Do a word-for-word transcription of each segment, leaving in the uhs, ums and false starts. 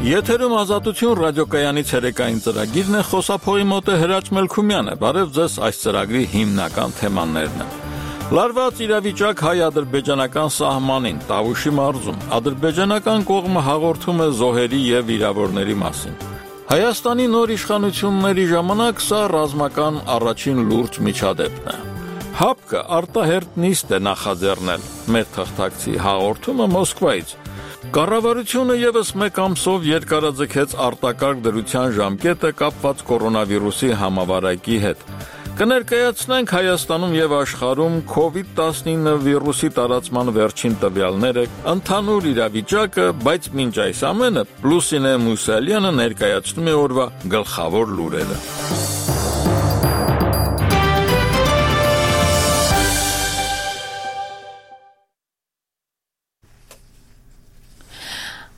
Եթերում Ազատություն ռադիոկայանի ցերեկային ծրագիրն է, խոսափողի մոտ է Հրաչ Մելքումյանը։ Բարև ձեզ, այս ծրագրի հիմնական թեմաներն են։ Լարված իրավիճակ հայ-ադրբեջանական սահմանին, Տավուշի մարզում, ադրբեջանական կողմը հաղորդում է զոհերի և վիրավորների մասին։ Հայաստանի նոր իշխանությունների ժամանակ սա ռազմական առաջին լուրջ միջադեպն է։ ՀԱՊԿ-ը արտահերթ նիստ է նախաձեռնել, մեր թղթակցի հաղորդումը Մոսկվայից։ Կառավարությունը ևս մեկ ամսով երկարաձգեց արտակարգ դրության ժամկետը կապված կորոնավիրուսի համավարակի հետ։ Կներկայացնենք Հայաստանում և աշխարհում քովիդ տասնինը վիրուսի տարածման վերջին տվյալները, ընդհանուր իրավիճակը, բայց մինչ այս ամենը Լուսինե Մուսալյանը ներկայացնում է օրվա գլխավոր լուրերը։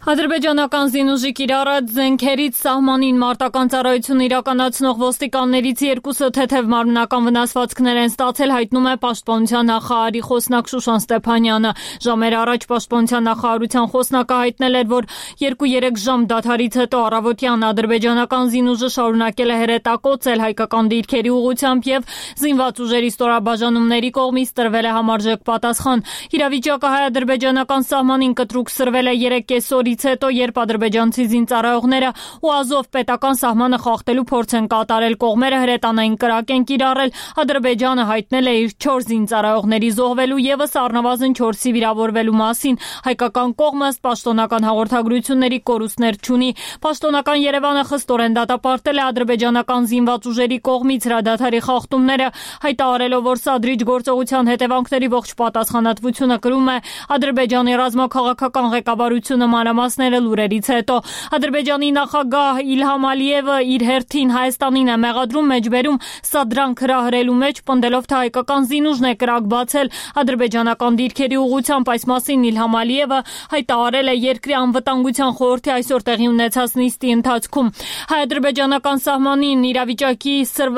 Ադրբեջանական զինուժի կիրառած զենքերից սահմանին մարտական ծառայություն իրականացնող ոստիկաններից երկուսը թեթև մարմնական վնասվածքներ են ստացել, հայտնում է Պաշտպանության նախարարի խոսնակ Շուշան Ստեփանյանը։ Ժամեր առաջ Պաշտպանության նախարարության խոսնակը հայտնել էր, որ երկու-երեք ժամ դադարից հետո առավոտյան ադրբեջանական զինուժը շարունակել է հրետակոծել հայկական դիրքերի ուղղությամբ և զինված ուժերի ստորաբաժանումների կողմից տրվել է համարժեք պատասխան։ Իրավիճակը հայ-ադրբեջանական սահմանին կտրուկ սրվել է երեք կեսօրից հետո, երբ ադրբեջանցի զինծառայողները ու Ազով պետական սահմանը խախտելու փորձ են կատարել, կողմերը հրետանային կրակ են կիրառել, Ադրբեջանը հայտնել է իր չորս զինծառայողների զոհվելու ևս առնվազն չորսի վիրավորվելու մասին։ Հայկական կողմը ըստ պաշտոնական հաղորդագրությունների կորուստներ չունի։ Պաշտոնական Երևանը խստորեն դատապարտել է ադրբեջանական զինված ուժերի կողմից հրադադարի խախտումները, հայտարարելով, որ սադրիչ գործողության հետևանքների ողջ պատասխանատվությունը կրում է Ադրբեջանի ռազմաքաղաքական ղեկավարությունը մանրամասները լուրերից հետո։ Ադրբեջանի նախագահ Իլհամ Ալիևը իր հերթին Հայաստանին է մեղադրում մեջբերում սադրանք հրահրելու մեջ, պնդելով, թե հայկական զինուժն է կրակ բացել ադրբեջանական դիրքերի ուղղությամբ։ Այս մասին Իլհամ Ալիևը հայտարարել է երկրի անվտանգության խորհրդի այսօր տեղի ունեցած նիստի ընթացքում։ Հայ-ադրբեջանական սահմանին իրավիճակի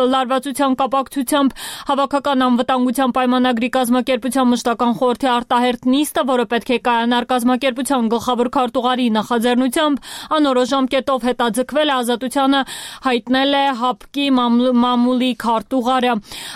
լարվածության կապակցությամբ Հավաքական անվտանգության պայմանագրի կազմակերպության մշտական խորհրդի արտահերթ նիստը, որը պետք է կայանար կազմակերպության գլխավոր քարտուղարի նախաձեռնությամբ, անորոշ ժամկետով հետաձգվել է, Ազատությանը հայտնել է ՀԱՊԿ-ի մամուլի քարտուղարը։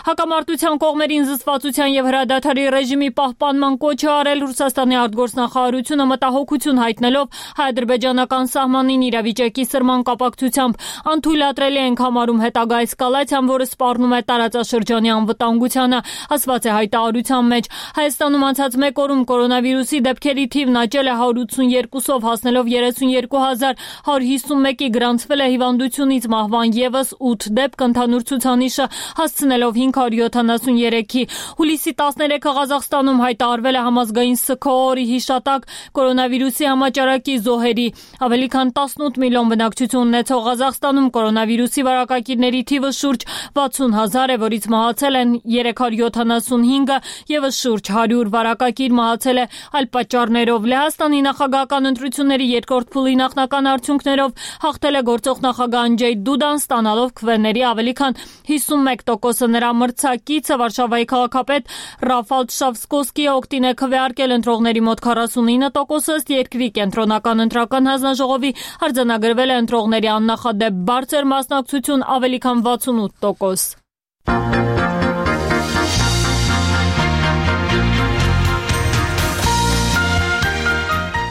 Հակամարտության կողմերին զսպվածության և հրադադարի ռեժիմի պահպանման կոչ է արել Ռուսաստանի արտգործնախարարությունը, մտահոգություն հայտնելով հայ-ադրբեջանական սահմանին իրավիճակի սրման կապակցությամբ։ Անթույլատրելի ենք համարում հետագա էսկալացիան, որը սպառնում է տարածաշրջանի անվտանգությանը, ասված է հայտարարության մեջ։ Հայաստանում անցած մեկ օրում կորոնավիրուսի դեպքերի թիվն աճել է հարյուր ութսուներկուսով, հասնելով երեսունյերկու հազար հարյուր հիսունմեկի, գրանցվել է հիվանդությունից մահվան ևս ութ դեպք, ընդհանուր ցուցանիշը հասցնելով հինգ հարյուր յոթանասուներեքի։ Հուլիսի տասներեքը Ղազախստանում հայտարարվել է համազգային սգո-օրի հիշատակ կորոնավիրուսի համաճարակի զոհերի։ Ավելի քան տասնութ միլիոն բնակչություն ունեցող Ղազախստանում կորոնավիրուսի վարակակիրների թիվը շուրջ վաթսուն հազար է, որից մահացել են երեք հարյուր յոթանասունհինգը, ևս շուրջ հարյուր վարակակիր մահացել է այլ պատճառներով։ Լեհաստանի նախագահական ընտրությունների երկրորդ փուլի նախնական արդյունքներով հաղթել է գործող նախագահ Անդժեյ Դուդան, ստանալով քվեների ավելի քան հիսունմեկ տոկոսը։ Նրա մրցակիցը Վարշավայի քաղաքապետ Ռաֆալ Տշավսկոսկիը օգտին է քվեարկել ընտրողների մոտ քառասունինը տոկոսը, ըստ երկրի կենտրոնական ընտրական հանձնաժողովի արձանագրվել է ընտրողների աննախադեպ բարձր մասնակցություն ավելի քան վաթսունութ տոկոս։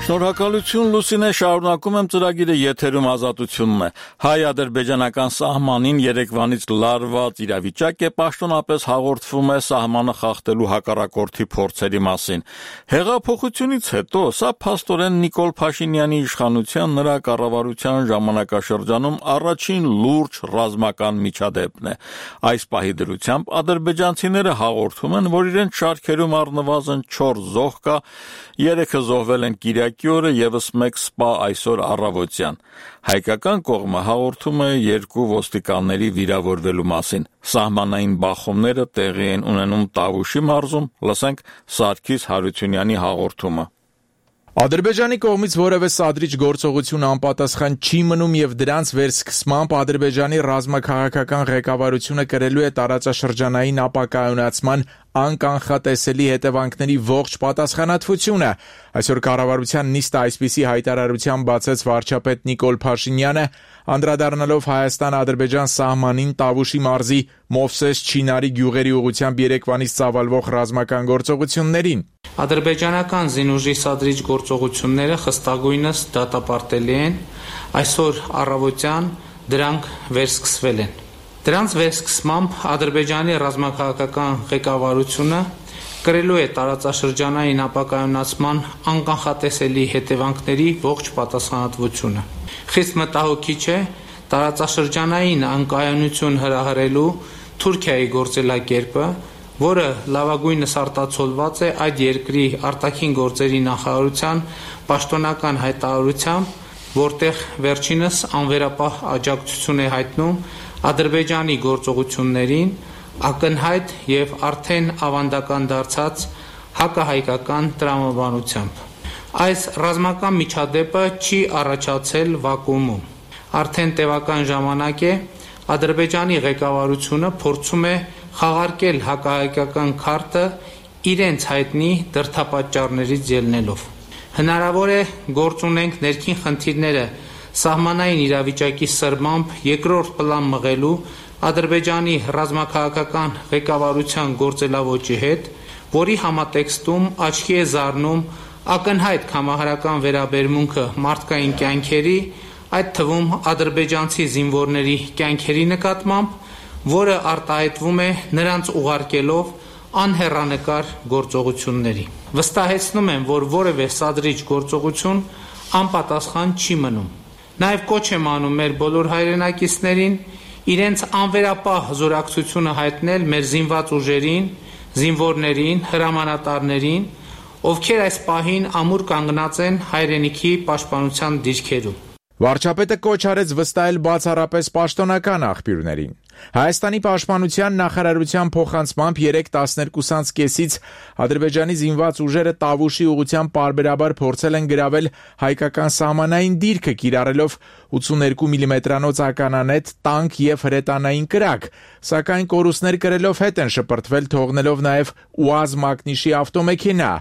Շնորհակալություն Լուսինե, շարունակում եմ ծրագիրը, եթերում Ազատությունն է։ Հայ-ադրբեջանական սահմանին երեկվանից լարված իրավիճակ է, պաշտոնապես հաղորդվում է սահմանը խախտելու հակառակորդի փորձերի մասին։ Հեղափոխությունից հետո սա փաստորեն Նիկոլ Փաշինյանի իշխանության, նրա կառավարության ժամանակաշրջանում առաջին լուրջ ռազմական միջադեպն է։ Այս պահի դրությամբ ադրբեջանցիները հաղորդում են, որ իրենց շարքերում առնվազն չորս զոհ կա, երեքը զոհվել են կիրակի օրը, ևս մեկ սպա այսօր առավոտյան։ Հայկական կողմը հաղորդում է երկու ոստիկանների վիրավորվելու մասին։ Սահմանային բախումները տեղի են ունենում Տավուշի մարզում, լսենք Սարգիս Հարությունյանի հաղորդումը։ Ադրբեջանի կողմից որևէ սադրիչ գործողություն անպատասխան չի մնում եւ դրանց վերսկսմամբ Ադրբեջանի ռազմաքաղաքական ղեկավարությունը կրելու է տարածաշրջանային ապակայունացման անկանխատեսելի հետևանքների ողջ պատասխանատվությունը։ Այսօր կառավարության նիստը այսպիսի հայտարարությամբ բացեց վարչապետ Նիկոլ Փաշինյանը, անդրադառնալով Հայաստան-Ադրբեջան սահմանին Տավուշի մարզի Մովսես Չինարի գյուղերի ուղղությամբ երեկվանից ծավալվող ռազմական գործողություններին։ Ադրբեջանական զինուժի սադրիչ գործողությունները խստագույնս դատապարտելի են, այսօր առավոտյան դրանք վերսկսվել են։ Դրանց վերսկսմամբ Ադրբեջանի ռազմաքաղաքական ղեկավարությունը կրելու է տարածաշրջանային ապակայունացման անկանխատեսելի հետևանքների ողջ պատասխանատվությունը։ Խիստ մտահոգիչ է տարածաշրջանային անկայունություն հրահրելու Թուրքիայի գործելակերպը, որը լավագույնս արտացոլված է այդ երկրի արտաքին գործերի նախարարության պաշտոնական հայտարարությամբ, որտեղ վերջինս անվերապահ աջակցություն է հայտնում Ադրբեջանի գործողություններին ակնհայտ եւ արդեն ավանդական դարձած հակահայկական տրամաբանությամբ։ Այս ռազմական միջադեպը չի առաջացել վակուումում։ Արդեն տևական ժամանակ է Ադրբեջանի ղեկավարությունը փորձում է խաղարկել հակահայկական քարտը իրենց հայտնի դրդապատճառներից ելնելով։ Հնարավոր է գործ ունենք ներքին խնդիրները սահմանային իրավիճակի սրմամբ երկրորդ պլան մղելու Ադրբեջանի ռազմաքաղաքական ղեկավարության գործելավոճի հետ, որի համատեքստում աչքի է զարնում ակնհայտ կամահարական վերաբերմունքը մարդկային կյանքերի, այդ թվում ադրբեջանցի զինվորների կյանքերի նկատմամբ, որը արտահայտվում է նրանց ուղարկելով անհեռանկար գործողությունների։ Վստահեցնում եմ, որ որևէ սադրիչ գործողություն անպատասխան չի մնում։ Նաև կոչ եմ անում մեր բոլոր հայրենակիցներին իրենց անվերապահ զորակցությունը հայտնել մեր զինված ուժերին, զինվորներին, հրամանատարներին, ովքեր այս պահին ամուր կանգնած են հայրենիքի պաշտպանության դիրքերում։ Վարչապետը կոչ արեց վստահել բացառապես պաշտոնական աղբյուրներին։ Հայաստանի պաշտպանության նախարարության փոխանցմամբ երեկ տասներկուսից կեսից Ադրբեջանի զինված ուժերը Տավուշի ուղղությամբ պարբերաբար փորձել են գրավել հայկական սահմանային դիրքը, կիրառելով ութսուներկու միլիմետրանոց ականանետ, տանկ եւ հրետանային կրակ, սակայն կորուստներ կրելով հետ են շպրտվել, թողնելով նաեւ ՈՒԱԶ մակնիշի ավտոմեքենա։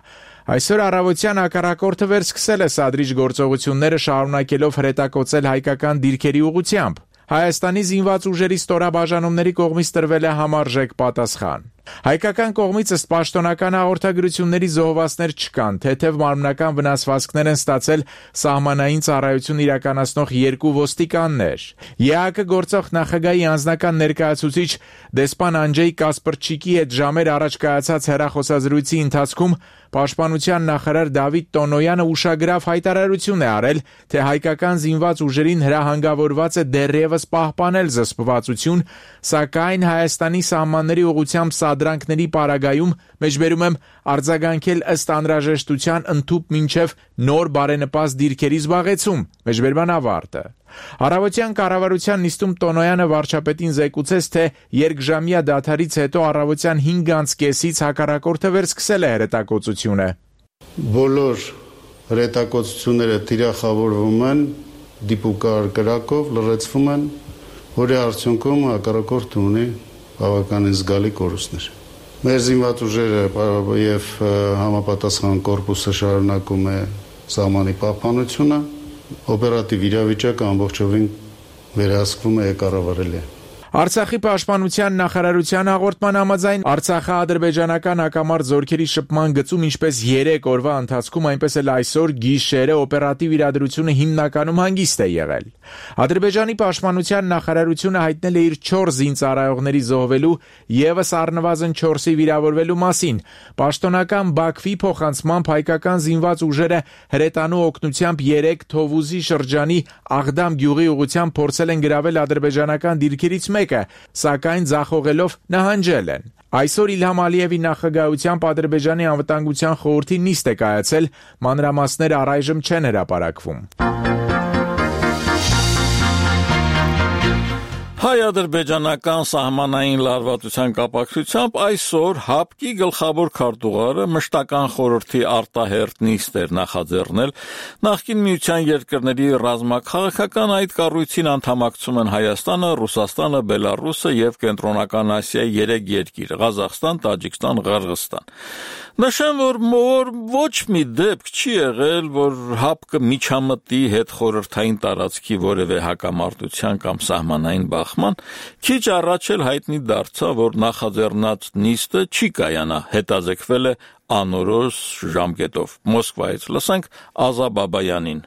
Այսօր առավոտյան հակառակորդը վերսկսել է սադրիչ գործողությունները, շարունակելով հրետակոծել հայկական դիրքերի ուղղությամբ։ Հայաստանի զինված ուժերի ստորաբաժանումների կողմից տրվել է համարժեք պատասխան։ Հայկական կողմից ըստ պաշտոնական հաղորդագրությունների զոհվածներ չկան, թեթև մարմնական վնասվածքներ են ստացել սահմանային ծառայություն իրականացնող երկու ոստիկաններ։ ԵԱՀԿ գործող նախագահի անձնական ներկայացուցիչ դեսպան Անջեյ Կասպրչիկի հետ ժամեր առաջ կայացած հեռախոսազրույցի ընթացքում Պաշտպանության նախարար Դավիթ Տոնոյանը ուշագրավ հայտարարություն է արել, թե հայկական զինված ուժերին հրահանգավորված է դեռևս պահպանել զսպվածություն, սակայն Հայաստանի սահմանների ուղղությամբ սադրանքների պարագայում, մեջբերում եմ, արձագանքել ըստ անհրաժեշտության ընդհուպ մինչև նոր բարենպաստ դիրքերի զբաղեցում, մեջբերման ավարտը։ Առավոտյան կառավարության նիստում Տոնոյանը վարչապետին զեկուցեց, թե երկժամյա դադարից հետո առավոտյան հինգ կեսից հակառակորդը վերսկսել է հրետակոծությունը։ Բոլոր հրետակոծությունները թիրախավորվում են դիպուկար կրակով, լրացվում են, որի արդյունքում հակառակորդը ունի բավականին զգալի կորուստներ։ Մեր զինված ուժերը եւ համապատասխան կորպուսը շարունակում է սահմանի պահպանությունը, օպերատիվ իրավիճակը ամբողջովին վերահսկվում է կառավարելի է։ Արցախի պաշտպանության նախարարության հաղորդման համաձայն Արցախը ադրբեջանական հակամարտ զորքերի շփման գծում ինչպես երեք օրվա ընթացքում, այնպես էլ այսօր գիշերը օպերատիվ իրադրությունը հիմնականում հանգիստ է եղել։ Ադրբեջանի պաշտպանության նախարարությունը հայտնել է իր չորս զինծառայողների զոհվելու եւս առնվազն չորսի վիրավորվելու մասին։ Պաշտոնական Բաքվի փոխանցմամբ հայկական զինված ուժերը հրետանու օգնությամբ երեք Թովուզի շրջանի Աղդամ գյուղի ուղղությամբ փորձել են գրավել ադրբեջանական դիրքերից մեկը, սակայն ձախողելով նահանջել են։ Այսօր Իլհամ Ալիևի նախագահությամբ Ադրբեջանի անվտանգության խորհրդի նիստ է կայացել, մանրամասները առայժմ չեն հրապարակվում։ Հայ-ադրբեջանական սահմանային լարվածության կապակցությամբ այսօր ՀԱՊԿ-ի գլխավոր քարտուղարը մշտական խորհրդի արտահերթ նիստ էր նախաձեռնել։ Նախկին միության երկրների ռազմաքաղաքական այդ կառույցին անդամակցում են Հայաստանը, Ռուսաստանը, Բելարուսը եւ Կենտրոնական Ասիայի երեք երկիր՝ Ղազախստան, Տաջիկստան, Ղրղստան։ Նշեմ, որ ոչ մի դեպք չի եղել, որ ՀԱՊԿ-ը միջամտի հետ խորհրդային տարածքի որևէ հակամարտության կամ սահմանային բախման, քիչ առաջ էլ հայտնի դարձավ, որ նախաձեռնած նիստը չի կայանա, հետաձգվել է անորոշ ժամկետով։ Մոսկվայից լսենք Ազա Բաբայանին։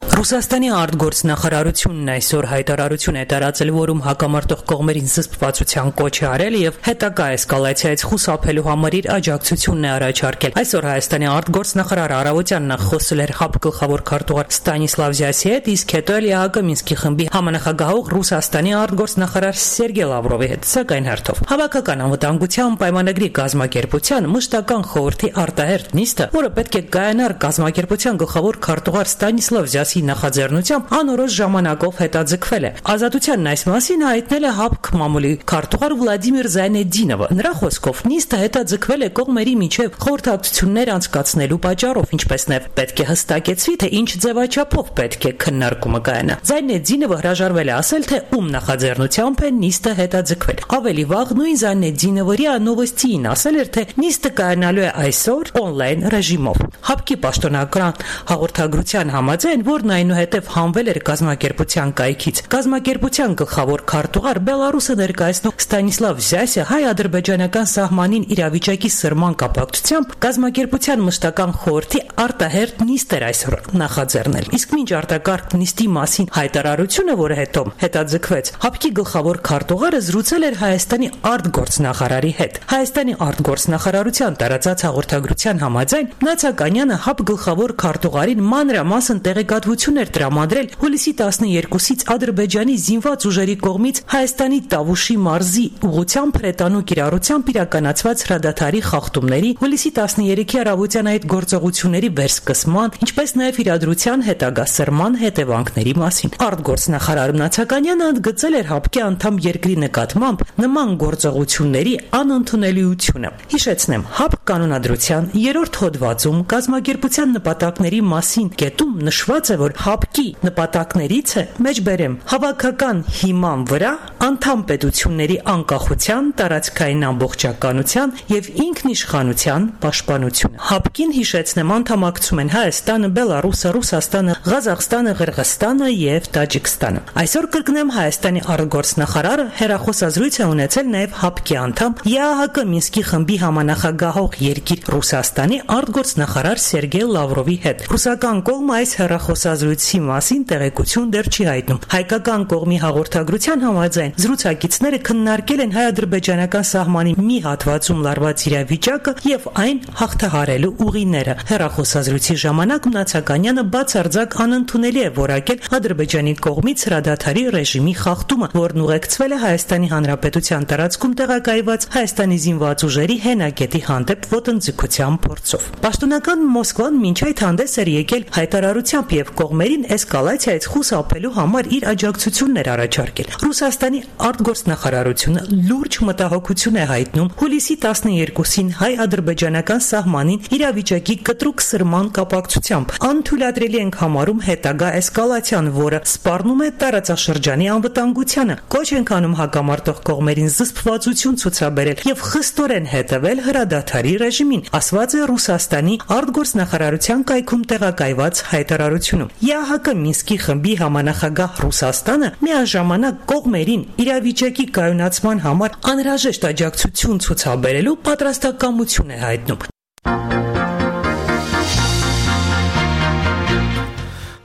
Ռուսաստանի արտգործնախարարությունն այսօր հայտարարություն է տարածել, որում հակամարտող կողմերին զսպվածության կոչ է արել եւ հետագա էսկալացիայից խուսափելու համար իր աջակցությունն է առաջարկել։ Այսօր Հայաստանի արտգործնախարար Արավոտյանն խոսել էր ՀԱՊԿ գլխավոր քարտուղար Ստանիսլավ Զյասի հետ, իսկ հետո էլ ԵԱՀԿ Մինսկի խմբի համանախագահող Ռուսաստանի արտգործնախարար Սերգեյ Լավրովի հետ, սակայն հերթով։ Հավաքական անվտանգության պայմանագրի կազմակերպության մշտական խորհրդի արտահերթ նիստը, որը պետք է կայանար կազմակերպության գլխավոր քարտուղար Ստանիսլավ Զյասի նախաձեռնությամբ անորոշ ժամանակով հետաձգվել է։ Ազատությանն այս մասին հայտնել է ՀԱՊԿ մամուլի քարտուղար Վլադիմիր Զայնեդինովը։ Նրա խոսքով նիստը հետաձգվել է կողմերի միջև խորհրդակցություններ անցկացնելու պատճառով, ինչպես նաև պետք է հստակեցվի, թե ինչ ձևաչափով պետք է քննարկումը կայանա։ Զայնեդինովը հրաժարվել է ասել, թե ում նախաձեռնությամբ է նիստը հետաձգվել։ Ավելի վաղ նույն Զայնեդինովը ՌԻԱ Նովոստիին ասել էր, թե նիստը կայանալու է այսօր օնլայն ռեժիմով։ ՀԱՊԿ-ի պաշտոնական հաղորդագրության համաձայն, որն այնուհետև հանվել էր կազմակերպության կայքից, կազմակերպության գլխավոր քարտուղար Բելարուսը ներկայացնող Ստանիսլավ Զյասը հայ-ադրբեջանական սահմանին իրավիճակի սրման կապակցությամբ կազմակերպության մշտական խորհրդի արտահերթ նիստ էր այսօր նախաձեռնել։ Իսկ մինչ արտակարգ նիստի մասին հայտարարությունը, որը հետո հետաձգվեց, ՀԱՊԿ-ի գլխավոր քարտուղարը զրուցել էր Հայաստանի արտգործնախարարի հետ։ Հայաստանի արտգործնախարարության տարածած հաղորդագրության համաձայն Նացականյանը ՀԱՊԿ գլխավոր քարտուղարին մանրամասն տեղեկատվություն էր տրամադրել հուլիսի տասներկուսից Ադրբեջանի զինված ուժերի կողմից Հայաստանի Տավուշի մարզի ուղղությամբ հրետանու կիրառությամբ իրականացված հրադադարի խախտումների, հուլիսի տասներեքի առավոտյան այդ գործողությունների վերսկսման, ինչպես նաև իրադրության հետագա սրման հետևանքների մասին։ Արտգործնախարար Նացականյանը ընդգծել էր ՀԱՊԿ-ի անդամ երկրի նկատմամբ նման գործողությունների անընդունելիությունը։ Հիշեցնեմ, ՀԱՊԿ կանոնադրության երրորդ հոդվածում կազմակերպության նպատակների մասին կետում նշված է, որ ՀԱՊԿ-ի նպատակներից է, մեջբերեմ, հավաքական հիման վրա անդամ պետությունների անկախության, տարածքային ամբողջականության եւ ինքնիշխանության պաշտպանությունը։ ՀԱՊԿ-ին, հիշեցնեմ, անդամակցում են Հայաստանը, Բելարուսը, Ռուսաստանը, Ղազախստանը, Ղրղստանը եւ Տաջիկստանը։ Այսօր կրկնեմ, Հայաստանի արտգործնախարարը հերախոսազրույց է ունեցել նաեւ ՀԱՊԿ-ի անդամ ԵԱՀԿ Մինսկի խմբի համանախագահող երկիր Ռուսաստանի արտգործնախարար Սերգեյ Լավրովի հետ։ Ռուսական կողմը այս հեռախոսազրույցի մասին տեղեկություն դեռ չի հայտնում։ Հայկական կողմի հաղորդագրության համաձայն զրուցակիցները քննարկել են հայ-ադրբեջանական սահմանի մի հատվածում լարված իրավիճակը եւ այն հաղթահարելու ուղիները։ Հեռախոսազրույցի ժամանակ Նացականյանը բացարձակ անընդունելի է որակել Ադրբեջանի կողմից հրադադարի ռեժիմի խախտումը, որն ուղեկցվել է Հայաստանի Հանրապետության տարածքում տեղակայված Հայաստանի զինված ուժերի հենակետի հանդեպ ոտնձգության փորձով։ Պաշտոնական Մոսկվան մինչ այդ հանդես էր եկել հայտարարությամբ եւ կողմերին էսկալացիայից խուսափելու համար իր աջակցությունն էր առաջարկել։ Ռուսաստանի արտգործնախարարությունը լուրջ մտահոգություն է հայտնում հուլիսի տասներկուսին հայ-ադրբեջանական սահմանին իրավիճակի կտրուկ սրման կապակցությամբ։ Անթույլատրելի ենք համարում հետագա էսկալացիան, որը սպառնում է տարածաշրջանի անվտանգությանը։ Կոչ ենք անում հակամարտող կողմերին զսպվածություն ցուցաբերել եւ խստորեն հետևել հրադադարի ռեժիմին, ասված է Ռուսաստանի արտգործնախարարության կայքում տեղակայված հայտարարությունում։ ԵԱՀԿ Մինսկի խմբի համանախագահ Ռուսաստանը միաժամանակ կողմերին իրավիճակի կայունացման համար անհրաժեշտ աջակցություն ցուցաբերելու պատրաստակամություն է հայտնում։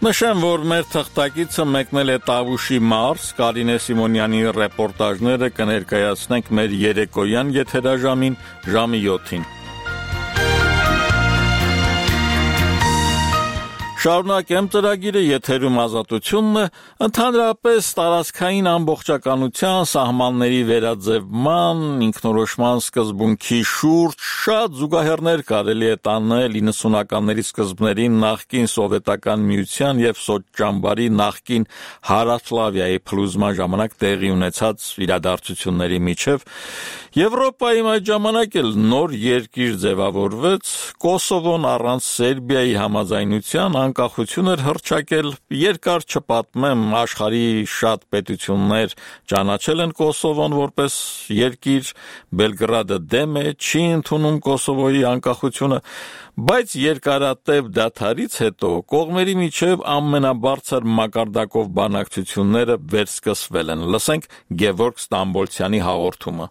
Նշեմ, որ մեր թղթակիցը մեկնել է Տավուշի մարզ, Կարինե Սիմոնյանի ռեպորտաժները կներկայացնենք մեր երեկոյան եթերաժամին ժամի յոթին։ Շարունակեմ ծրագիրը եթերում ազատությունն է, ընդհանրապես տարածքային ամբողջականության, սահմանների վերաձևման, ինքնորոշման սկզբունքի շուրջ շատ զուգահեռներ կարելի է տանել իննսունականների սկզբներին նախկին սովետական միության եւ սոցճամբարի նախկին Հարավսլավիայի փլուզման ժամանակ տեղի ունեցած իրադարձությունների միջև Եվրոպայում այդ ժամանակ էլ նոր երկիր ձևավորվեց, Կոսովոն առանց Սերբիայի համաձայնության անկախություն էր հռչակել, երկար չպատմեմ, աշխարհի շատ պետություններ ճանաչել են Կոսովոն որպես երկիր, Բելգրադը դեմ է, չի ընդունում Կոսովոյի անկախությունը, բայց երկարատև դադարից հետո կողմերի միջև ամենաբարձր մակարդակով բանակցությունները վերսկսվել են։ Լսենք Գևորգ Ստամբոլցյանի հաղորդումը։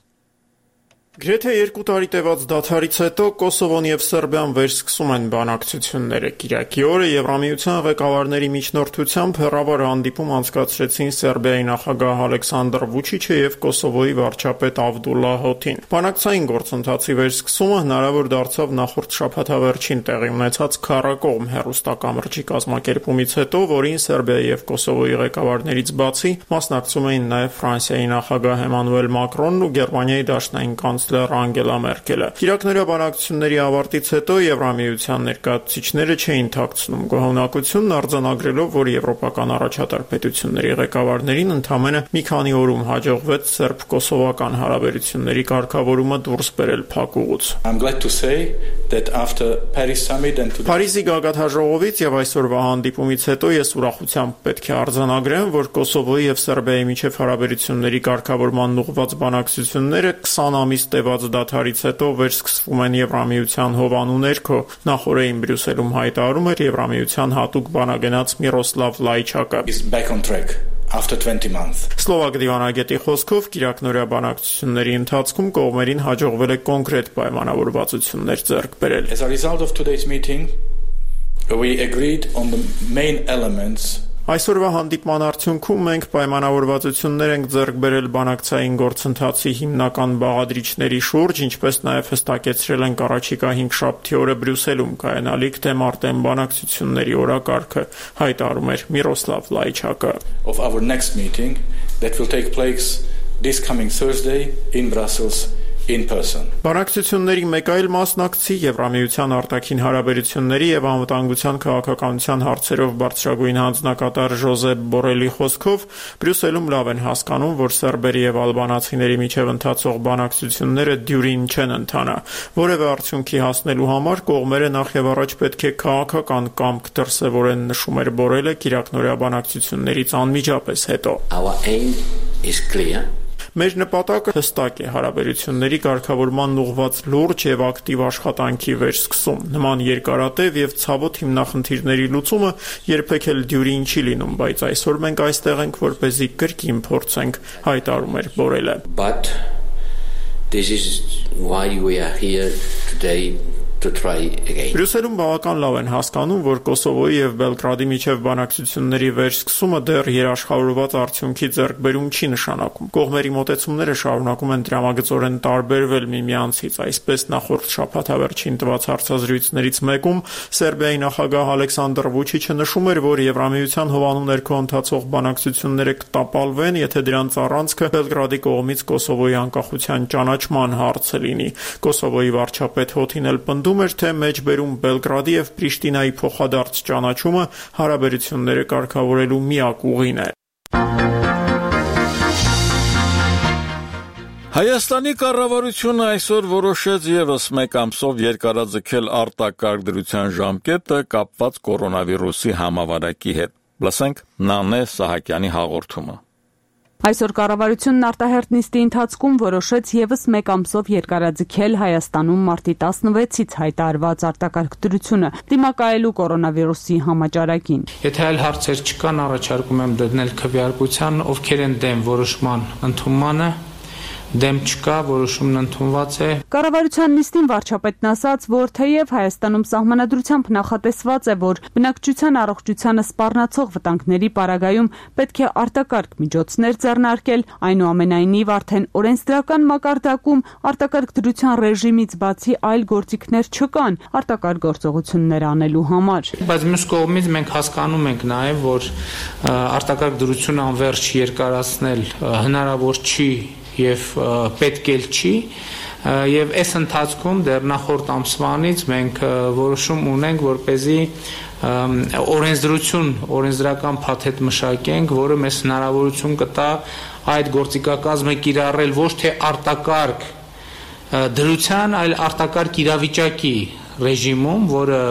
Գրեթե երկու տարի տևած դադարից հետո Կոսովոն եւ Սերբիան վերսկսում են բանակցությունները։ Կիրակի օրը Եվրամիության ղեկավարների միջնորդությամբ հեռավար հանդիպում անցկացրեցին Սերբիայի նախագահ Ալեքսանդր Վուչիչը եւ Կոսովոյի վարչապետ Ավդուլլա Հոթին։ Բանակցային գործընթացի վերսկսումը հնարավոր դարձավ նախորդ շաբաթավերջին տեղի ունեցած քառակողմ հեռուստակամրջի կազմակերպումից հետո, որին Սերբիայի եւ Կոսովոյի ղեկավարներից բացի մասնակցում էին նաեւ Ֆրանսիայի նախագահ Էմանուել Մակրոնն ու Գերմանիայի դաշնային կանցլեր Անգելա Մերկելը։ Կիրակներյա բանակցությունների ավարտից հետո Եվրամիության ներկայացուցիչները չէին թաքցնում գոհունակությունն, արձանագրելով, որ եվրոպական առաջատար պետությունների ղեկավարներին ընդամենը մի քանի օրում հաջողվեց սերբ-կոսովական հարաբերությունների կարգավորումը դուրս բերել փակուղուց։ Փարիզի գագաթաժողովից եւ այսօրվա հանդիպումից հետո ես ուրախությամբ պետք է արձանագրեմ, որ Կոսովոյի եւ Սերբիայի միջև հարաբերությունների կարգավորման ուղղված բանակցությունները քսան ամիս տևած դադարից հետո վերսկսվում են Եվրամիության հովանու ներքո, նախորդին Բրյուսելում հայտարարում էր Եվրամիության հատուկ բանագնաց Միրոսլավ Լայչակը։ After twenty months. Սլովակ դիվանագետի խոսքով կիրակնորյա բանակցությունների ընթացքում կողմերին հաջողվել է կոնկրետ պայմանավորվածություններ ձեռք բերել։ As a result of today's meeting, we agreed on the main elements. Այսօրվա հանդիպման արդյունքում մենք պայմանավորվածություններ ենք ձեռք բերել բանակցային գործընթացի հիմնական բաղադրիչների շուրջ, ինչպես նաև հստակեցրել ենք առաջիկա հինգշաբթի օրը Բրյուսելում կայանալիք թեմարտեն բանակցությունների օրակարգը, հայտարարում էր Միրոսլավ Լայչակը։ Of our next meeting that will take place this coming Thursday in Brussels. In person. Բանակցությունների մեկ այլ մասնակցի Եվրամիության արտաքին հարաբերությունների եւ անվտանգության քաղաքականության հարցերով բարձրագույն հանձնակատար Ժոզեփ Բորելի խոսքով Բրյուսելում լավ են հասկանում, որ սերբերի եւ ալբանացիների միջև ընթացող բանակցությունները դյուրին չեն ընթանա։ Որևէ արդյունքի հասնելու համար կողմերը նախ եւ առաջ պետք է քաղաքական կամք դրսեւորեն, նշում էր Բորելը կիրակնորյա բանակցություններից անմիջապես հետո։ Our aim is clear. Մեր նպատակը հստակ է՝ հարաբերությունների կարգավորման ուղղված լուրջ եւ ակտիվ աշխատանքի վերսկսում։ Նման երկարատև եւ ցավոտ հիմնախնդիրների լուծումը երբեք էլ դյուրին չի լինում, բայց այսօր մենք այստեղ ենք, որպեսզի կրկին փորձենք, հայտարարում էր Բորելը։ But this is why we are here today. Բրյուսելում բավական լավ են հասկանում, որ Կոսովոյի եւ Բելգրադի միջև բանակցությունների վերսկսումը դեռ երաշխավորված արդյունքի ձեռքբերում չի նշանակում։ Կողմերի մոտեցումները շարունակում են դրամագծորեն տարբերվել միմյանցից, այսպես նախորդ շաբաթավերջին տված հարցազրույցներից մեկում Սերբիայի նախագահ Ալեքսանդր Վուչիչը նշում էր, որ Եվրամիության հովանու ներքո ընթացող բանակցությունները կտապալվեն, եթե դրանց առանցքը Բելգրադի կողմից Կոսովոյի անկախության ճանաչման հարցը լինի։ Կոսովոյի վարչապետ Հոթին էլ պնդում էր, թե մեջբերում Բելգրադի եւ Պրիշտինայի փոխադարձ ճանաչումը հարաբերությունները կարգավորելու միակ ուղին է։ Հայաստանի կառավարությունը այսօր որոշեց եւս մեկ ամսով երկարաձգել արտակարգ դրության ժամկետը կապված կորոնավիրուսի համավարակի հետ։ Լսենք Նանե Սահակյանի հաղորդումը։ Այսօր կառավարությունն արտահերթ նիստի ընթացքում որոշեց եւս մեկ ամսով երկարաձգել Հայաստանում մարտի տասնվեցից հայտարարված արտակարգ դրությունը դիմակայելու կորոնավիրուսի համաճարակին։ Եթե այլ հարցեր չկան, առաջարկում եմ դնել քվեարկության, ովքեր են դեմ որոշման ընդունմանը, դեմ չկա, որոշումն ընդունված է։ Կառավարության նիստին վարչապետն ասաց, որ թեև Հայաստանում սահմանադրությամբ նախատեսված է, որ բնակչության առողջությանը սպառնացող վտանգների պարագայում պետք է արտակարգ միջոցներ ձեռնարկել, այնուամենայնիվ արդեն օրենսդրական մակարդակում արտակարգ դրության ռեժիմից բացի այլ գործիքներ չկան արտակարգ գործողություններ անելու համար։ Բայց մյուս կողմից մենք հասկանում ենք նաև, որ արտակարգ դրություն անվերջ երկարացնել հնարավոր չի եւ պետք էլ չի եւ այս ընթացքում դեռ նախորդ ամսվանից մենք որոշում ունենք, որպեսզի օրենսդրություն, օրենսդրական փաթեթ մշակենք, որը մեզ հնարավորություն կտա այդ գործիքակազմը կիրառել ոչ թե արտակարգ դրության, այլ արտակարգ իրավիճակի ռեժիմում, որը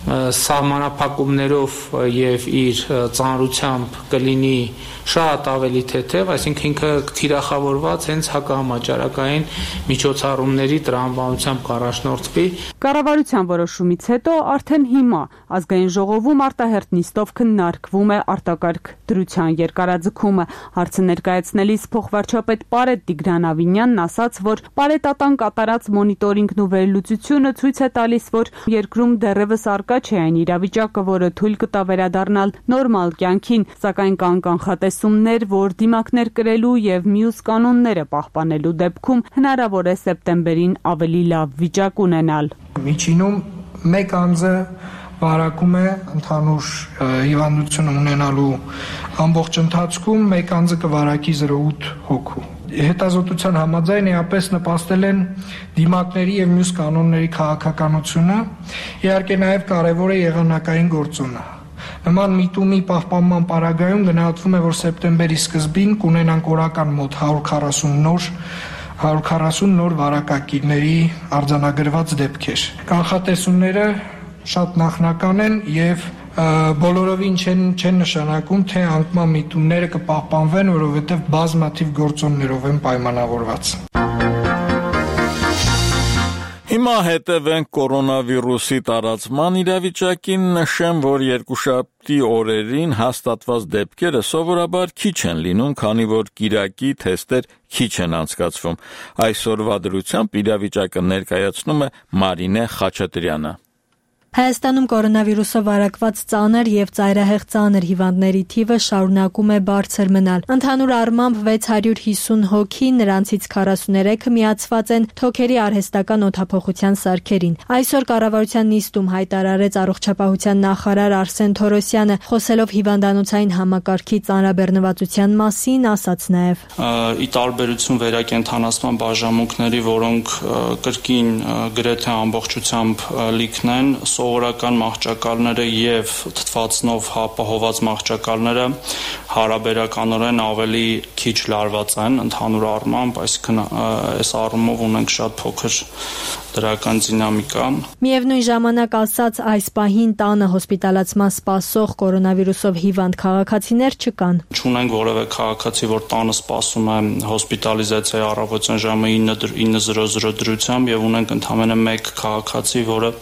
սահմանափակումներով եւ իր ծանրությամբ կլինի շատ ավելի թեթև, այսինքն ինքը թիրախավորված հենց հակահամաճարակային միջոցառումների տրամաբանությամբ կառաջնորդվի։ Կառավարության որոշումից հետո արդեն հիմա ազգային ժողովում արտահերթ նիստով քննարկվում է արտակարգ դրության երկարաձգումը։ Հարցը ներկայացնելիս փոխվարչապետ Պարետ Տիգրան Ավինյանն ասաց, որ Պարետատան կատարած մոնիտորինգն ու վերլուծությունը ցույց է տալիս, որ երկրում դեռևս առկա չէ այն իրավիճակը, որը թույլ կտա վերադառնալ նորմալ կյանքին, սակայն կան կանխատեսումներ, որ դիմակներ կրելու եւ մյուս կանոնները պահպանելու դեպքում հնարավոր է սեպտեմբերին ավելի լավ վիճակ ունենալ։ Միջինում մեկ անձը վարակում է ընդհանուր հիվանդություն ունենալու ամբողջ ընթացքում, մեկ անձը կվարակի զրո ութ հոգու։ Հետազոտության համաձայն էապես նպաստել են դիմակների եւ մյուս կանոնների քաղաքականությունը, իհարկե նաեւ կարեւոր է եղանակային գործոնը։ Նման միտումի պահպանման պարագայում գնահատվում է, որ սեպտեմբերի սկզբին կունենանք օրական մոտ հարյուր քառասուն նոր հարյուր քառասուն նոր վարակակիրների արձանագրված դեպքեր։ Կանխատեսումները շատ նախնական են եւ բոլորովին չեն չեն նշանակում, թե անկման միտումները կպահպանվեն, որովհետեւ բազմաթիվ գործոններով են պայմանավորված։ Հիմա հետևենք կորոնավիրուսի տարածման իրավիճակին, նշեմ, որ երկուշաբթի օրերին հաստատված դեպքերը սովորաբար քիչ են լինում, քանի որ կիրակի թեստեր քիչ են անցկացվում։ Այսօրվա դրությամբ իրավիճակը ներկայացնում է Մարինե Խաչատրյանը։ Հայաստանում կորոնավիրուսով վարակված ծանր եւ ծայրահեղ ծանր հիվանդների թիվը շարունակում է բարձր մնալ։ Ընդհանուր առմամբ վեց հարյուր հիսուն հոգի, նրանցից քառասուներեքը միացված են թոքերի արհեստական օդափոխության սարքերին։ Այսօր կառավարության նիստում հայտարարեց առողջապահության նախարար Արսեն Թորոսյանը, խոսելով հիվանդանոցային համակարգի ծանրաբեռնվածության մասին, ասաց նաեւ. Ի տարբերություն վերակենդանացման բաժանմունքների, որոնք կրկին գրեթե ամբողջությամբ լիքն են, սովորական մահճակալները եւ թթվածնով ապահոված մահճակալները հարաբերականորեն ավելի քիչ լարված են ընդհանուր առմամբ, այսինքն այս առումով ունենք շատ փոքր դրական դինամիկա։ Միևնույն ժամանակ ասաց, այս պահին տանը հոսպիտալացման սպասող կորոնավիրուսով հիվանդ քաղաքացիներ չկան։ Չունենք որևէ քաղաքացի, որ տանը սպասում է հոսպիտալիզացիայի առավոտյան ժամը ինը դրությամբ եւ ունենք ընդամենը մեկ քաղաքացի, որը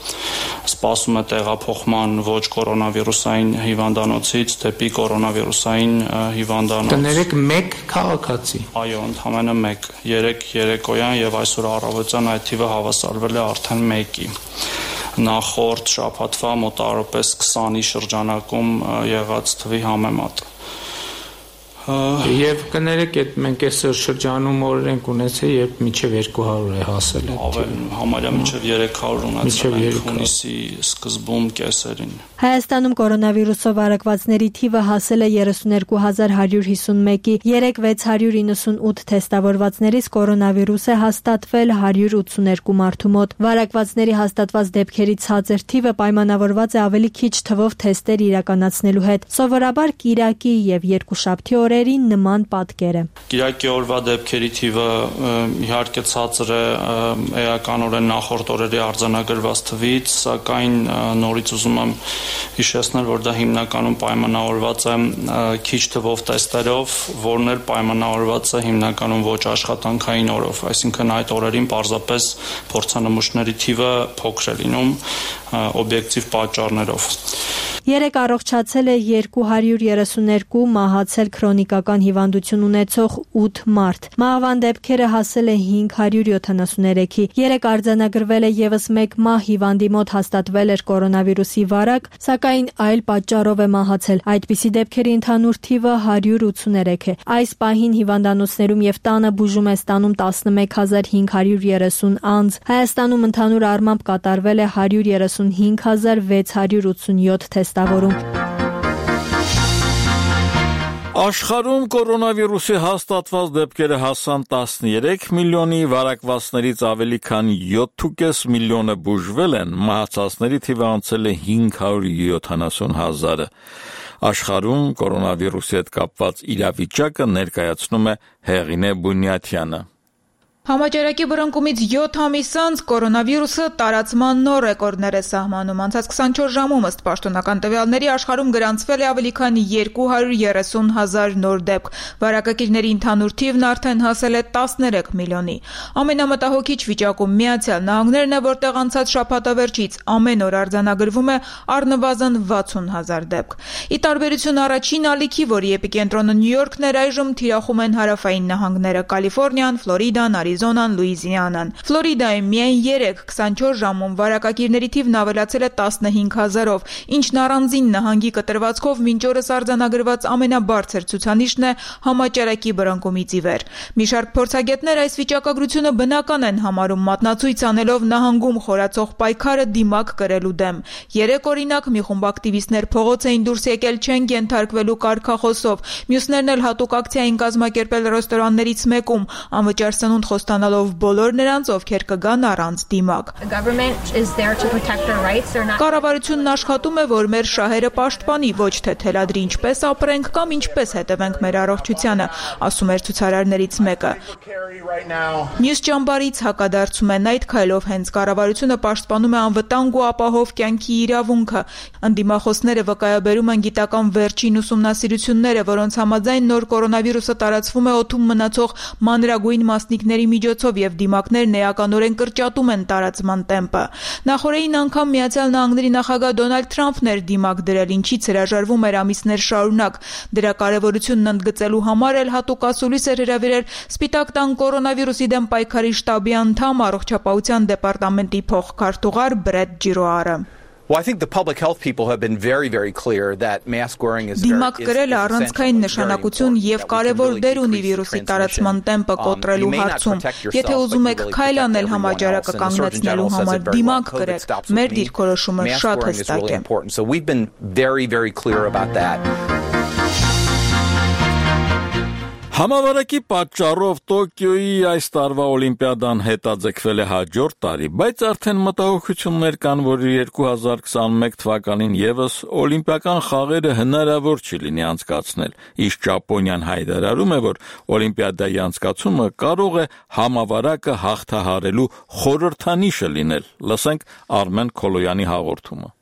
սպասում է տեղափոխման ոչ կորոնավիրուսային հիվանդանոցից դեպի կորոնավիրուսային հիվանդանոց։ Կներեք մեկ քաղաքացի։ Այո, ընդամենը մեկ, երեք երեկոյան եւ այսօր առավոտյան այդ թիվը հավասարվել է արդեն մեկի։ Նախորդ շաբաթվա մոտավորապես քսանի շրջանակում եղած թվի համեմատ։ Եվ կներեք, այդ մենք այսօր շրջանում օրեր ենք ունեցել, երբ մինչև երկու հարյուր է հասել։ Համարյա մինչև երեք հարյուր ունեցել ենք հունիսի սկզբում կեսերին։ Հայաստանում կորոնավիրուսով վարակվածների թիվը հասել է երեսունյոթ հազար հարյուր հիսուն մեկի, երեկ վեց հարյուր իննսունութ թեստավորվածներից կորոնավիրուս է հաստատվել հարյուր ութսուներկու մարդու մոտ։ Վարակվածների հաստատված դեպքերի ցածր թիվը պայմանավորված է ավելի քիչ թվով թեստեր իրականացնելու հետ։ Սովորաբար կիրակի եւ երկուշաբթի օրերին նման պատկեր է։ Կիրակի օրվա դեպքերի թիվը իհարկե ցածր է էականորեն նախորդ օրերի արձանագրված թվից, սակայն նորից ուզում եմ հիշեցնել, որ դա հիմնականում պայմանավորված է քիչ թվով տեստերով, որն էլ պայմանավորված է հիմնականում ոչ աշխատանքային օրով, այսինքն այդ օրերին պարզապես փորձանմուշների թիվը փոքր է լինում օբյեկտիվ պատճառներով։ Երեկ առողջացել է երկու հարյուր երեսուներկու, մահացել քրոնիկական հիվանդություն ունեցող ութ մարդ։ Մահվան դեպքերը հասել է հինգ հարյուր յոթանասուներեքի։ Երեկ արձանագրվել է եւս մեկ մահ, հիվանդի մոտ հաստատվել էր կորոնավիրուսի վարակ, սակայն այլ պատճառով է մահացել։ Այդպիսի դեպքերի ընդհանուր թիվը հարյուր ութսուներեք է։ Այս պահին հիվանդանոցներում եւ տանը բուժում է ստանում տասնմեկ հազար հինգ հարյուր երեսուն անձ։ Հայաստանում ընդհանուր առմամբ կատարվել է հարյուր երեսունհինգ հազար վեց հարյուր ութսունյոթ թեստավորում։ Աշխարհում կորոնավիրուսի հաստատված դեպքերը հասան տասներեք միլիոնի, վարակվածներից ավելի քան յոթ կόμμα պենս միլիոնը բուժվել են, մահացածների թիվը անցել է հինգ հարյուր յոթանասուն հազարը։ Աշխարհում կորոնավիրուսի հետ կապված իրավիճակը ներկայացնում է Հեղինե Բունյաթյանը։ Համաճարակի բռնկումից յոթ ամիս անց կորոնավիրուսը տարածման նոր ռեկորդներ է սահմանում։ Անցած քսանչորս ժամում ըստ պաշտոնական տվյալների աշխարհում գրանցվել է ավելի քան երկու հարյուր երեսուն հազար նոր դեպք։ Վարակակիրների ընդհանուր թիվն արդեն հասել է տասներեք միլիոնի։ Ամենամտահոգիչ վիճակում Միացյալ Նահանգներն է, որտեղ անցած շաբաթավերջից ամեն օր արձանագրվում է առնվազն վաթսուն հազար դեպք։ Ի տարբերություն առաջին ալիքի, որի էպիկենտրոնը Նյու Յորքն էր, այժմ թիրախում են հարավային նահանգները՝ Կալիֆոռնիան, Ֆլորիդան, Արիզոնան, Լուիզիանան։ Ֆլորիդայում միայն երեկ քսանչորս ժամում վարակակիրների թիվն ավելացել է տասնհինգ հազարով, ինչն առանձին նահանգի կտրվածքով մինչ օրս արձանագրված ամենաբարձր ցուցանիշն է համաճարակի բռնկումից ի վեր։ Մի շարք փորձագետներ այս վիճակագրությունը բնական են համարում, մատնացույց անելով նահանգում խորացող պայքարը դիմակ կրելու դեմ։ Երեկ օրինակ մի խումբ ակտիվիստներ փողոց էին դուրս եկել չենք ենթարկվելու կարգախոսով, մյուսներն էլ հատուկ ակցիա էին կազմակերպել ռեստորաններից մեկում, անվճար սնունդ խոստանալով բոլոր նրանց, ովքեր կգան առանց դիմակ։ Կառավարությունն աշխատում է, որ մեր շահերը պաշտպանի, ոչ թե թելադրի ինչպես ապրենք կամ ինչպես հետևենք մեր առողջությանը, ասում էր ցուցարարներից մեկը։ Մյուս ճամբարից հակադարձում են այդ քայլով հենց կառավարությունը պաշտպանում է անվտանգ ու ապահով կյանքի իրավունքը։ Ընդդիմախոսները վկայաբերում են գիտական վերջին ուսումնասիրությունները, որոնց համաձայն նոր կորոնավիրուսը տարածվում է օդում մնացող մանրագույն մասնիկների միջոցով եւ դիմակներն էականորեն կրճատում են տարածման տեմպը։ Նախորդին անգամ Միացյալ Նահանգների նախագահ Դոնալդ Թրամփն էր դիմակ դրել, ինչից հրաժարվում էր ամիսներ շարունակ։ Դրա կարևորությունն ընդգծելու համար էլ հատուկ ասուլիս էր հրավիրել Սպիտակ տան կորոնավիրուսի դեմ պայքարի շտաբի անդամ, առողջապահության դեպարտամենտի փոխքարտուղար Բրեդ Ջիրոարը։ Well, I think the public health people have been very, very clear that mask wearing is Դիմակ կրելը առանցքային նշանակություն եւ կարևոր դեր ունի վիրուսի տարածման տեմպը կոտրելու հարցում։ Եթե ուզում եք քայլ անել համաճարակը կանգնեցնելու համար, դիմակ կրեք։ Մեր դիրքորոշումը շատ հստակ է։ So we've been very, very clear about that. Համավարակի պատճառով Տոկիոյի այս տարվա օլիմպիադան հետաձգվել է հաջորդ տարի, բայց արդեն մտահոգություններ կան, որ երկու հազար քսանմեկ թվականին եւս օլիմպիական խաղերը հնարավոր չի լինի անցկացնել։ Իսկ Ճապոնիան հայտարարում է, որ օլիմպիադայի անցկացումը կարող է համավարակը հաղթահարելու խորհրդանիշը լինել։ Լսենք Արմեն Քոլոյանի հաղորդումը։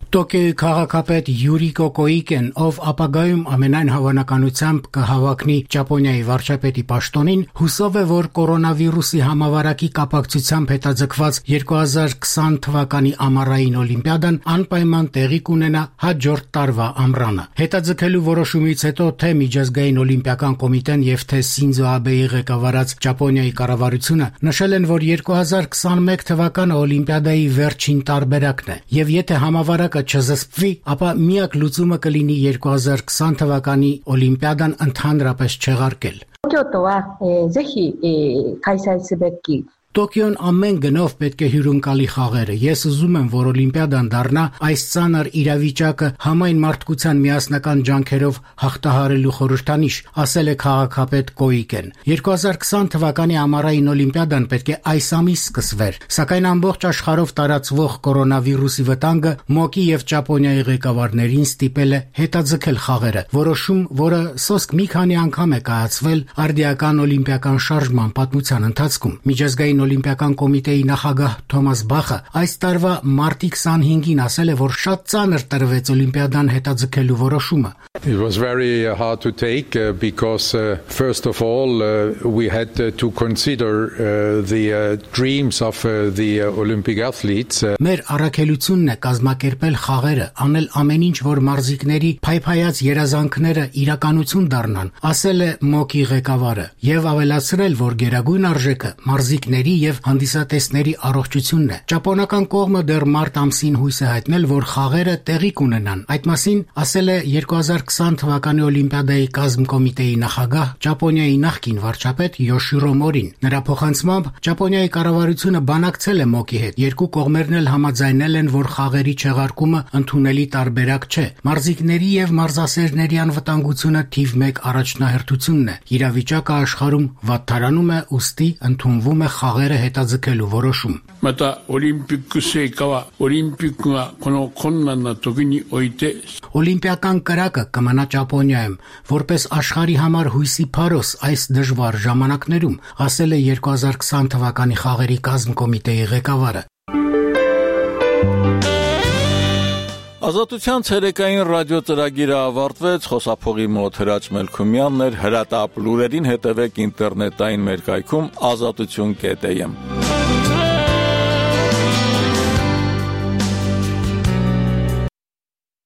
Տոկիոյի քաղաքապետ Յուրիկո Կոիկեն, ով ապագայում ամենայն հավանականությամբ կհավաքնի Ճապոնիայի վարչապետի պաշտոնին, հուսով է, որ կորոնավիրուսի համավարակի կապակցությամբ հետաձգված երկու հազար քսան թվականի ամառային օլիմպիադան անպայման տեղի կունենա հաջորդ տարվա ամռանը։ Հետաձգելու որոշումից հետո թե միջազգային օլիմպիական կոմիտեն եւ թե Սինզո Աբեի ղեկավարած Ճապոնիայի կառավարությունը նշել են, որ երկու հազար քսանմեկ թվականը օլիմպիադայի վերջին տարբերակն է, եւ եթե համավարակը չզսպվի, ապա միակ լուծումը կլինի երկու հազար քսան թվականի օլիմպիադան ընդհանրապես չեղարկել։ Տոկիոն ամեն գնով պետք է հյուրընկալի խաղերը։ Ես ուզում եմ, որ օլիմպիադան դառնա այս ծանր իրավիճակը համայն մարդկության միասնական ջանքերով հաղթահարելու խորհրդանիշ, ասել է քաղաքապետ Կոիկեն։ երկու հազար քսան թվականի ամառային օլիմպիադան պետք է այս ամիս սկսվեր, սակայն ամբողջ աշխարհով տարածվող կորոնավիրուսի վտանգը ՄՕԿ-ի եւ Ճապոնիայի ղեկավարներին ստիպել է հետաձգել խաղերը, որոշում, որը սոսկ մի քանի անգամ է կայացվել արդիական օլիմպիական շարժման պատմության ընթացքում։ Միջազգային միջազգային օլիմպիական կոմիտեի նախագահ Թոմաս Բախը այս տարվա մարտի քսանհինգին ասել է, որ շատ ծանր տրվեց օլիմպիադան հետաձգելու որոշումը. It was very uh, hard to take uh, because uh, first of all uh, we had uh, to consider uh, the uh, dreams of uh, the uh, Olympic athletes. Uh, Մեր առաքելությունն է կազմակերպել խաղերը, անել ամեն ինչ, որ մարզիկների փայփայած երազանքները իրականություն դառնան, ասել է ՄՕԿ-ի ղեկավարը, եւ ավելացրել, որ գերագույն արժեքը մարզիկների եւ հանդիսատեսների առողջությունն է։ Ճապոնական կողմը դեռ մարտ ամսին հույս է հայտնել, որ խաղերը տեղի կունենան։ Այդ մասին ասել է երկու հազար քսան թվականի Օլիմպիադայի կազմկոմիտեի նախագահ Ճապոնիայի նախկին վարչապետ Յոշիրո Մորին։ Նրա փոխանցմամբ Ճապոնիայի կառավարությունը բանակցել է ՄՕԿ-ի հետ։ Երկու կողմերն էլ համաձայնել են, որ խաղերի չեղարկումը ընդունելի տարբերակ չէ։ Մարզիկների եւ մարզասերների անվտանգությունը թիվ մեկ առաջնահերթությունն է։ Իրավիճակը աշխարհում վատթարանում է, ուստի ընդունվում է խաղերը հետաձգելու որոշում։ Մտա օլիմպիկուսի կավա օլիմպիկը կոնո կոննանա տոգինի օյտե Օլիմպիական կրակը կմնա Ճապոնիայում, որպես աշխարհի համար հույսի փարոս այս դժվար ժամանակներում, ասել է երկու հազար քսան թվականի խաղերի կազմկոմիտեի ղեկավարը։ Ազատության ցերեկային ռադիո ծրագիրը ավարտվեց, խոսափողի մոտ Հրաչ Մելքումյանն էր, հրատապ լուրերին հետևեք ինտերնետային մեր կայքում ազատություն կետ էմ։